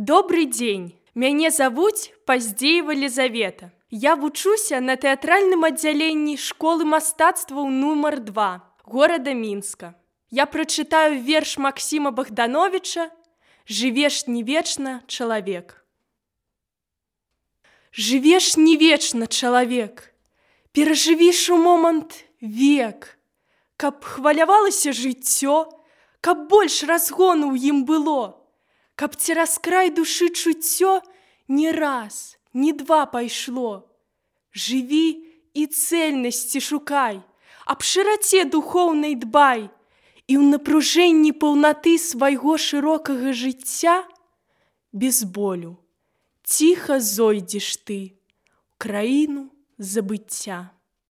Добрый дзень! Мяне завуць Паздзеева Лізавета. Я вучуся на тэатральным аддзяленні школы мастацтваў нумар 2 горада Мінска. Я прачытаю верш Максіма Богдановича «Жывеш не вечна, чалавек». Жывеш не вечна, чалавек, перажывіш у момант век, каб хвалявалася жыццё, каб больш разгону ў ім было, каб цераз край душы чуццё не раз, не два пайшло. Жыві і цэльнасці шукай, аб шыраце духоўнай дбай, і ў напружэнні паўнаты свайго шырокага жыцця без болю ціха зойдзеш ты ў краіну забыцця.